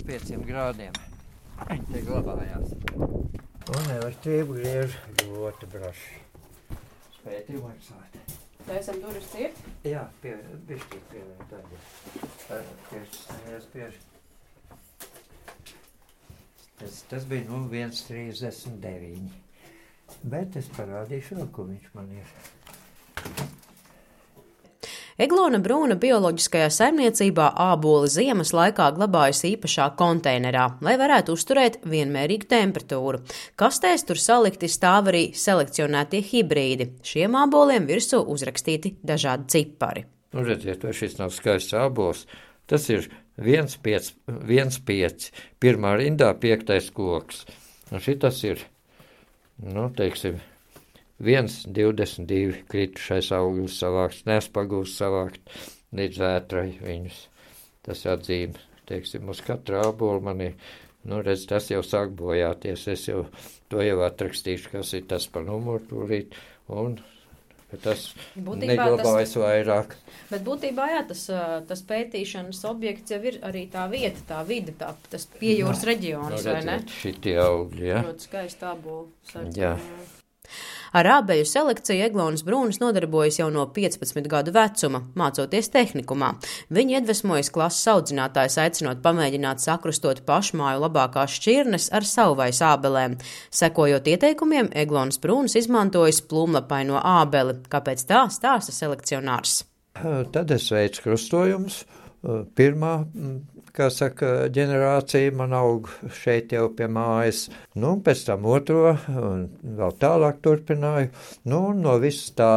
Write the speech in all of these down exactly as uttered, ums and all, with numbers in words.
pieciem grādiem. Viņi te glabājās. Un elektrību griež ļoti braši. Spēti maksāt. Tā esam durvis ciet? Jā, pie, bišķīt pievērt tādi. Piešķis spiež. Tas, tas bija nu viens trīsdesmit deviņi. Bet es parādīšu vēl, ko viņš man ir. Eglona Brūna bioloģiskajā saimniecībā āboli ziemas laikā glabājas īpašā konteinerā, lai varētu uzturēt vienmērīgu temperatūru. Kastēs tur salikti stāv arī selekcionētie hibrīdi. Šiem āboliem virsū uzrakstīti dažādi cipari. Nu, redziet, vai šis nav skaists ābols. Tas ir viens pieci, pirmā rindā piektais koks. Un šitas ir, nu, teiksim, viens divdesmit divi kritušais augļus savāks, nespagūs savākt līdz vētrai viņus. Tas atzīme, teiksim, uz katra ābola man ir, nu, redz, tas jau sāk bojāties. Es jau to jau atrakstīšu, kas ir tas pa numuru tūlīt, un tas neglabājas vairāk. Bet būtībā, jā, tas, tas pētīšanas objekts jau ir arī tā vieta, tā vide, tā, tas piejūras reģions, vai ne? Šitie augļi, jā. Ļoti skaisti ābolu. Jā. Ar ābeļu selekciju Eglonas Brūnas nodarbojas jau no piecpadsmit gadu vecuma, mācoties tehnikumā. Viņa iedvesmojas klases audzinātājs aicinot pamēģināt sakrustot pašmāju labākās šķirnes ar savvaļas ābelēm. Sekojot ieteikumiem, Eglonas Brūnas izmantojas plūmlapaino ābeli. Kāpēc tā stāsta selekcionārs? Tad es veicu krustojumus. Pirmā, kā saka, ģenerācija man aug šeit jau pie mājas, nu, pēc tam otro, un vēl tālāk turpināju, nu, no visas tā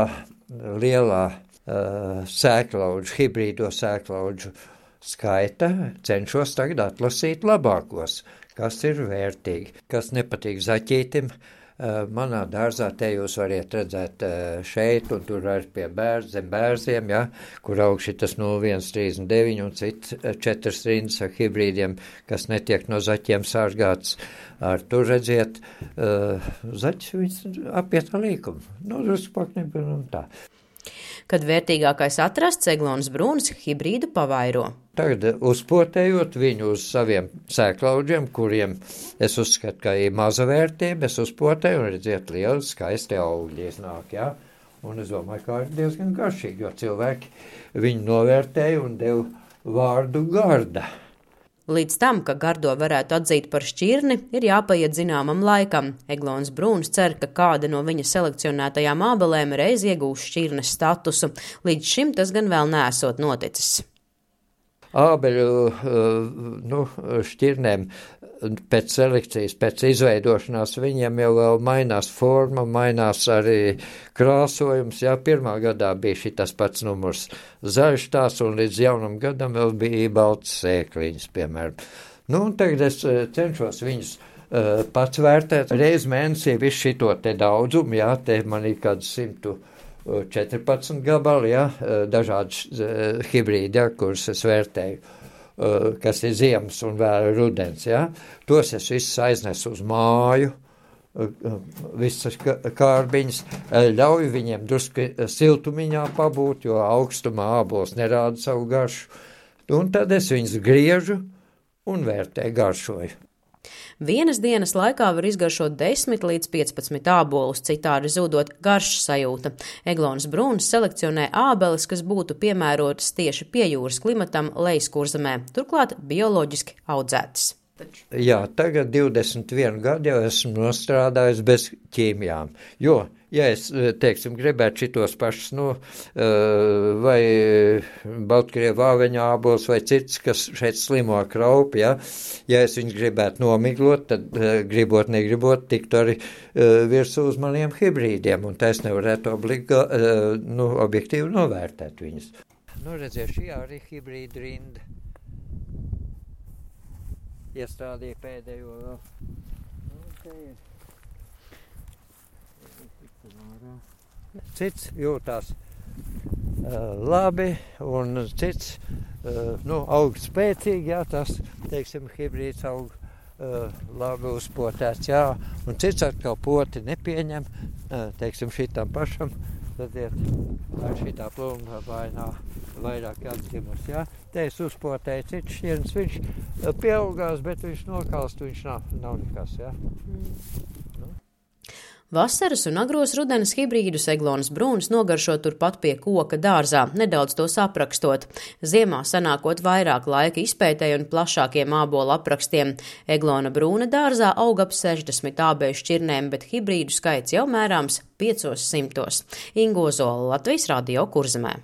lielā uh, sēklaudžu, hibrīdo sēklaudžu skaita cenšos tagad atlasīt labākos, kas ir vērtīgi, kas nepatīk zaķītim. Uh, manā dārzā te jūs variet redzēt uh, šeit, un tur arī pie bērz, zem bērziem, ja, kur aug šitas nulle viens trīsdesmit deviņi un cits uh, četras rindas ar hibrīdiem, kas netiek no zaķiem sārgāts. Ar tur redziet, uh, zaķis viņas apiet ar līkumu. Nu, drusku paknebien un tā. Kad vērtīgākais atrasts, Eglonas Brūnas hibrīdu pavairo. Tagad uzpotējot viņu uz saviem sēklaudžiem, kuriem es uzskatu, ka ir maza vērtība, es uzpotēju un redziet lieli skaisti augļi iznāk, jā. Un es domāju, ka ir diezgan garšīgi, jo cilvēki viņu novērtēja un deva vārdu garda. Līdz tam, ka gardo varētu atzīt par šķirni, ir jāpaiet zināmam laikam. Eglonas Brūnas cer, ka kāda no viņa selekcionētajām ābelēm reiz iegūs šķirnes statusu. Līdz šim tas gan vēl neesot noticis. Ābeļu nu, šķirnēm pēc selekcijas, pēc izveidošanās viņiem jau vēl mainās forma, mainās arī krāsojums. Jā, pirmā gadā bija šitas pats numurs zaļš tās, un līdz jaunam gadam vēl bija balts sēkliņas, piemēram. Nu, un tagad es cenšos viņus uh, pats vērtēt. Reiz mēnesī visu šito te daudzumu, jā, te man ir kāds simtu četrpadsmit gabali, jā, dažādi uh, hibrīdi, jā, kurus es vērtēju, uh, kas ir ziemas un vēl rudens, jā. Tos es visus aiznesu uz māju, uh, visas kārbiņas, ļauju viņiem drusku siltumiņā pabūt, jo augstumā ābols nerāda savu garšu, un tad es viņus griežu un vērtēju, garšoju. Vienas dienas laikā var izgaršot desmit līdz piecpadsmit ābolus, citādi zūdot garšas sajūta. Eglonas Brūnas selekcionē ābeles, kas būtu piemērotas tieši pie jūras klimatam Lejaskurzemē, turklāt bioloģiski audzētas. Jā, tagad divdesmit vienu gadu jau esmu nostrādājis bez ķīmijām, jo, ja es, teiksim, gribētu šitos pašus, nu, vai Baltkrievu āveņa ābols vai cits, kas šeit slimo ar kraupi, ja, ja es viņus gribētu nomiglot, tad gribot, negribot, tiktu arī virsū uz maniem hibrīdiem, un tā es nevarētu obligā, nu, objektīvi novērtēt viņus. Nu, redziet, šī arī hibrīda rinda. Iestrādīja pēdējo vēl. Okay. Cits jūtās uh, labi, un cits uh, nu, aug spēcīgi, jā, tas, teiksim, hibrīds aug uh, labi uzpotēts, jā, un cits atkal poti nepieņem, uh, teiksim, šitam pašam, tad iet ar šitā plūmlapainā vairāk atzimus, jā. Te es uzpotēju cits šķirns, viņš pieaugās, bet viņš nokalst, viņš nav, nav nekas, jā. Mm. Nu. Vasaras un agros rudenes hibrīdus Eglonas brūnas nogaršo turpat pie koka dārzā, nedaudz tos aprakstot. Ziemā sanākot vairāk laika izpētēji un plašākiem ābolu aprakstiem. Eglona brūna dārzā aug ap sešdesmit ābeju šķirnēm, bet hibrīdu skaits jau mērāms piecos simtos. Ingo Zola, Latvijas Radio, Kurzemē.